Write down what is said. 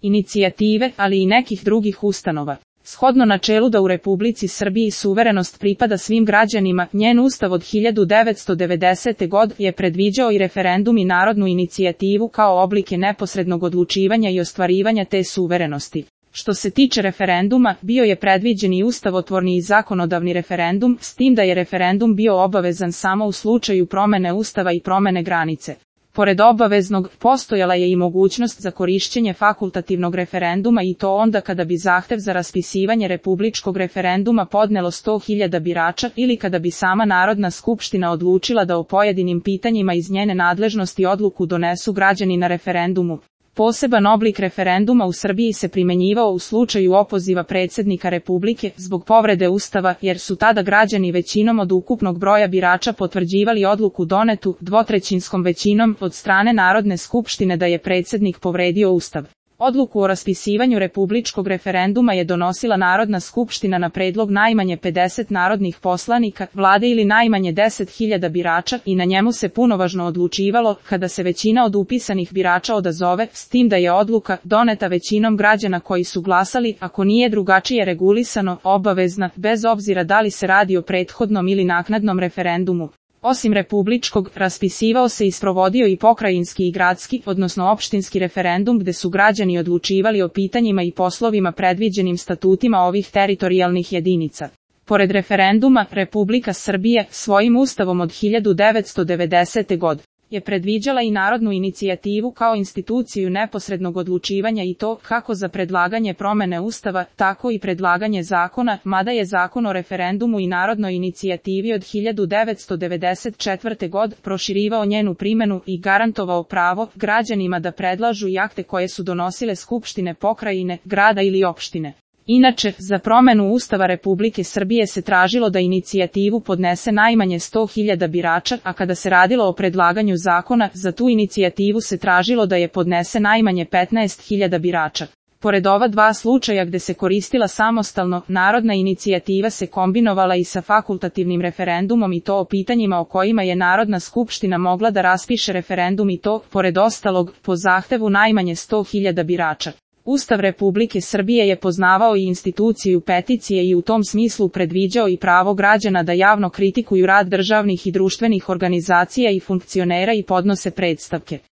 inicijative, ali i nekih drugih ustanova. Shodno načelu da u Republici Srbiji suverenost pripada svim građanima, njen ustav od 1990. godine je predviđao i referendum i narodnu inicijativu kao oblike neposrednog odlučivanja i ostvarivanja te suverenosti. Što se tiče referenduma, bio je predviđen i ustavotvorni i zakonodavni referendum, s tim da je referendum bio obavezan samo u slučaju promene ustava i promene granice. Pored obaveznog, postojala je i mogućnost za korišćenje fakultativnog referenduma i to onda kada bi zahtev za raspisivanje republičkog referenduma podnelo 100.000 birača ili kada bi sama Narodna skupština odlučila da o pojedinim pitanjima iz njene nadležnosti odluku donesu građani na referendumu. Poseban oblik referenduma u Srbiji se primenjivao u slučaju opoziva predsjednika Republike zbog povrede Ustava, jer su tada građani većinom od ukupnog broja birača potvrđivali odluku donetu dvotrećinskom većinom od strane Narodne skupštine da je predsjednik povredio Ustav. Odluku o raspisivanju republičkog referenduma je donosila Narodna skupština na predlog najmanje 50 narodnih poslanika, vlade ili najmanje 10.000 birača i na njemu se punovažno odlučivalo kada se većina od upisanih birača odazove, s tim da je odluka doneta većinom građana koji su glasali, ako nije drugačije regulisano, obavezna, bez obzira da li se radi o prethodnom ili naknadnom referendumu. Osim republičkog, raspisivao se i sprovodio i pokrajinski i gradski, odnosno opštinski referendum gde su građani odlučivali o pitanjima i poslovima predviđenim statutima ovih teritorijalnih jedinica. Pored referenduma, Republika Srbije svojim ustavom od 1990. godine je predviđala i narodnu inicijativu kao instituciju neposrednog odlučivanja i to kako za predlaganje promene Ustava, tako i predlaganje zakona, mada je Zakon o referendumu i narodnoj inicijativi od 1994. godine proširivao njenu primjenu i garantovao pravo građanima da predlažu i akte koje su donosile skupštine pokrajine, grada ili opštine. Inače, za promenu Ustava Republike Srbije se tražilo da inicijativu podnese najmanje 100.000 birača, a kada se radilo o predlaganju zakona, za tu inicijativu se tražilo da je podnese najmanje 15.000 birača. Pored ova dva slučaja gde se koristila samostalno, narodna inicijativa se kombinovala i sa fakultativnim referendumom i to o pitanjima o kojima je Narodna skupština mogla da raspiše referendum i to, pored ostalog, po zahtevu najmanje 100.000 birača. Ustav Republike Srbije je poznavao i instituciju peticije i u tom smislu predviđao i pravo građana da javno kritikuju rad državnih i društvenih organizacija i funkcionera i podnose predstavke.